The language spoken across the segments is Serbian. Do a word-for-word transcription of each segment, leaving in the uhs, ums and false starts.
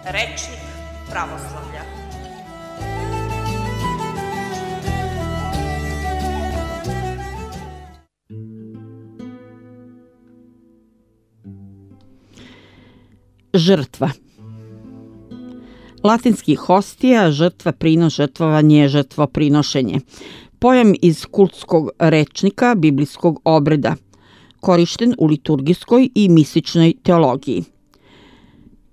Rečnik pravoslavlja. Žrtva. Latinski hostija, žrtva, prinos, žrtvovanje, žrtvoprinošenje. Pojam iz kultskog rečnika biblijskog obreda, korišten u liturgijskoj i mističnoj teologiji.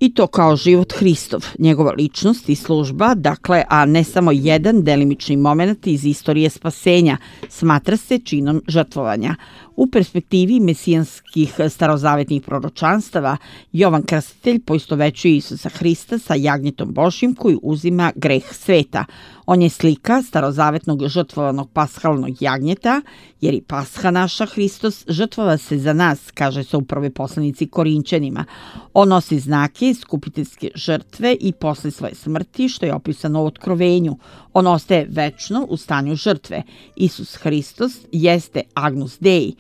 I to kao život Hristov, njegova ličnost i služba, dakle, a ne samo jedan delimični moment iz istorije spasenja, smatra se činom žrtvovanja. U perspektivi mesijanskih starozavetnih proročanstava, Jovan Krstitelj poistovećuje Isusa Hrista sa jagnjetom Božjim koji uzima greh sveta. On je slika starozavetnog žrtvovanog pashalnog jagnjeta, jer i pasha naša, Hristos, žrtvova se za nas, kaže se u prvoj poslanici Korinćanima. On nosi znake skupiteljske žrtve i posle svoje smrti, što je opisano u Otkrovenju. On ostaje večno u stanju žrtve. Isus Hristos jeste Agnus Dei,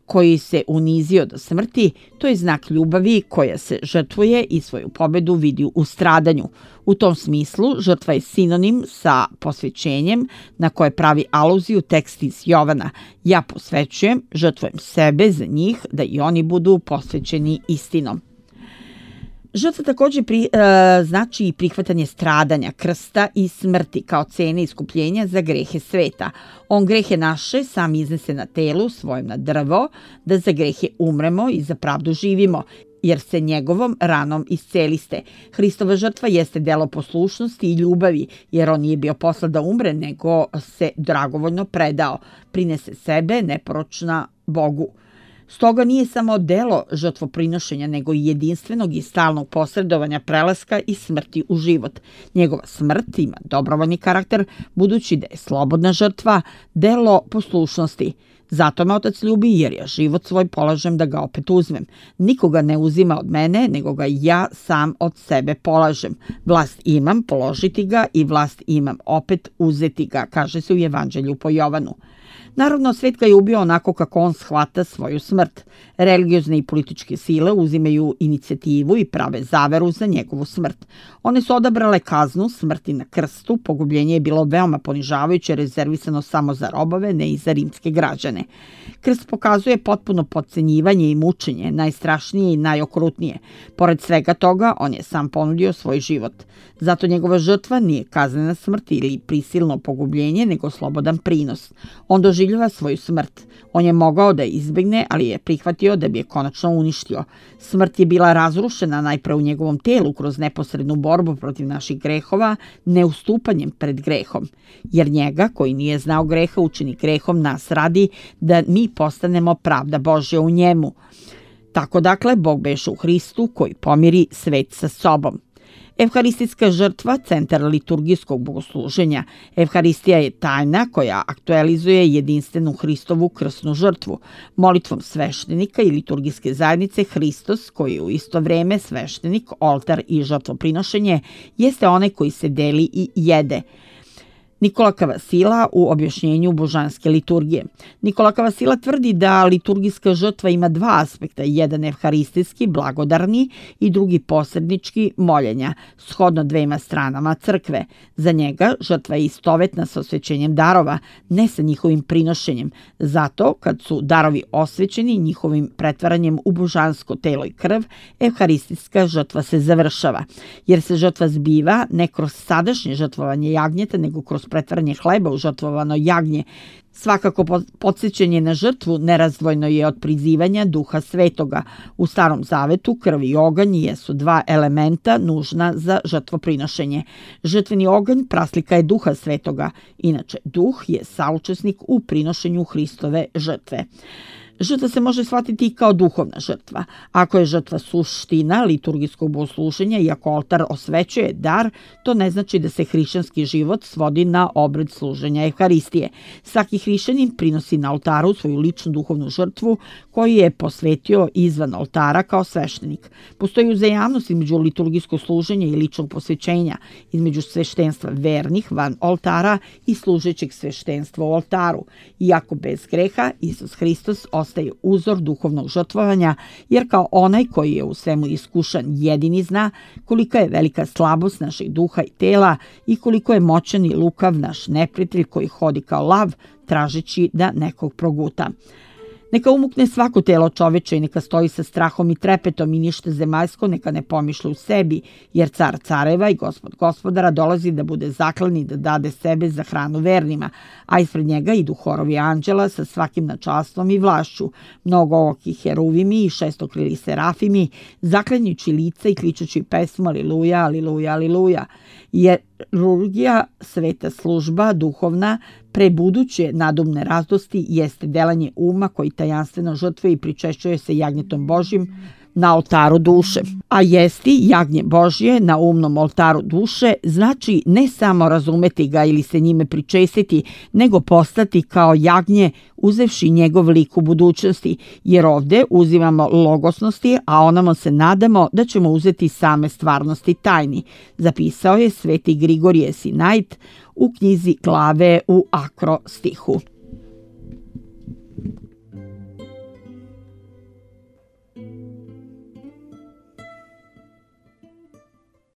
koji se unizio do smrti. To je znak ljubavi koja se žrtvuje i svoju pobedu vidi u stradanju. U tom smislu žrtva je sinonim sa posvećenjem na koje pravi aluziju tekst iz Jovana. Ja posvećujem, žrtvujem sebe za njih da i oni budu posvećeni istinom. Žrtva također pri, e, znači i prihvatanje stradanja, krsta i smrti kao cene iskupljenja za grehe sveta. On grehe naše sam iznese na telu svojem na drvo, da za grehe umremo i za pravdu živimo, jer se njegovom ranom isceliste. Hristova žrtva jeste delo poslušnosti i ljubavi, jer on nije bio poslat da umre, nego se dragovoljno predao, prinese sebe neporočna Bogu. Stoga nije samo delo žrtvoprinošenja, nego i jedinstvenog i stalnog posredovanja prelaska i smrti u život. Njegova smrt ima dobrovoljni karakter, budući da je slobodna žrtva, delo poslušnosti. Zato me Otac ljubi, jer ja život svoj polažem da ga opet uzmem. Nikoga ne uzima od mene, nego ga ja sam od sebe polažem. Vlast imam položiti ga i vlast imam opet uzeti ga, kaže se u Evanđelju po Jovanu. Naravno, svet ga je ubio onako kako on shvata svoju smrt. Religiozne i političke sile uzimaju inicijativu i prave zaveru za njegovu smrt. One su odabrale kaznu smrti na krstu, pogubljenje je bilo veoma ponižavajuće, rezervisano samo za robove, ne i za rimske građane. Krst pokazuje potpuno potcenjivanje i mučenje, najstrašnije i najokrutnije. Pored svega toga, on je sam ponudio svoj život. Zato njegova žrtva nije kaznena smrt ili prisilno pogubljenje, nego slobodan prinos. On doživljava svoju smrt. On je mogao da je izbegne, ali je prihvatio da bi je konačno uništio. Smrt je bila razrušena najpre u njegovom telu kroz neposrednu borbu protiv naših grehova, neustupanjem pred grehom. Jer njega, koji nije znao greha, učini grehom nas radi da mi postanemo pravda Božja u njemu. Tako dakle, Bog beše u Hristu koji pomiri svet sa sobom. Evharistijska žrtva, centar liturgijskog bogosluženja. Evharistija je tajna koja aktualizuje jedinstvenu Hristovu krsnu žrtvu. Molitvom sveštenika i liturgijske zajednice Hristos, koji je u isto vreme sveštenik, oltar i žrtvoprinošenje, jeste onaj koji se deli i jede. Nikola Kavasila u objašnjenju božanske liturgije. Nikola Kavasila tvrdi da liturgijska žrtva ima dva aspekta, jedan evharistijski, blagodarni i drugi posrednički, moljenja, shodno dvema stranama crkve. Za njega žrtva je istovetna sa osvećenjem darova, ne sa njihovim prinošenjem. Zato, kad su darovi osvećeni njihovim pretvaranjem u božansko telo i krv, evharistijska žrtva se završava, jer se žrtva zbiva ne kroz sadašnje žrtvovanje jagnjeta, nego kroz pretvaranje hleba u žrtvovano jagnje. Svakako podsjećanje na žrtvu nerazdvojno je od prizivanja Duha Svetoga. U Starom Zavetu krv i oganj jesu dva elementa nužna za žrtvoprinošenje. Žrtveni oganj praslika je Duha Svetoga, inače Duh je saučesnik u prinošenju Hristove žrtve. Žrtva se može shvatiti i kao duhovna žrtva. Ako je žrtva suština liturgijskog bogosluženja i ako oltar osvećuje dar, to ne znači da se hrišćanski život svodi na obred služenja Evharistije. Svaki hrišćanin prinosi na oltaru svoju ličnu duhovnu žrtvu koju je posvetio izvan oltara kao sveštenik. Postoji uzajamnost između liturgijskog služenja i ličnog posvećenja, između sveštenstva vernih van oltara i služećeg sveštenstva u oltaru. Iako bez greha, Isus Hristos postaje uzor duhovnog žrtvovanja, jer kao onaj koji je u svemu iskušan jedini zna kolika je velika slabost našeg duha i tela i koliko je moćan i lukav naš neprijatelj koji hodi kao lav tražeći da nekog proguta. Neka umukne svako telo čoveče i neka stoji sa strahom i trepetom i ništa zemaljsko neka ne pomišlja u sebi, jer car careva i gospod gospodara dolazi da bude zaklan i da dade sebe za hranu vernima, a ispred njega idu horovi anđela sa svakim načastvom i vlašću, mnogooki heruvimi i šestokrili serafimi, zaklanjući lica i kličući pesmu aliluja, aliluja, aliluja. Jerurgija, sveta služba, duhovna, pre buduće nadumne radosti jeste delanje uma koji tajanstveno žrtvuje i pričešćuje se jagnjetom Božjim na oltaru duše. A jesti jagnje Božje na umnom oltaru duše znači ne samo razumeti ga ili se njime pričestiti, nego postati kao jagnje uzevši njegov lik u budućnosti, jer ovde uzimamo logosnosti, a onamo se nadamo da ćemo uzeti same stvarnosti tajni, zapisao je sveti Grigorije Sinait u knjizi Glave u akrostihu.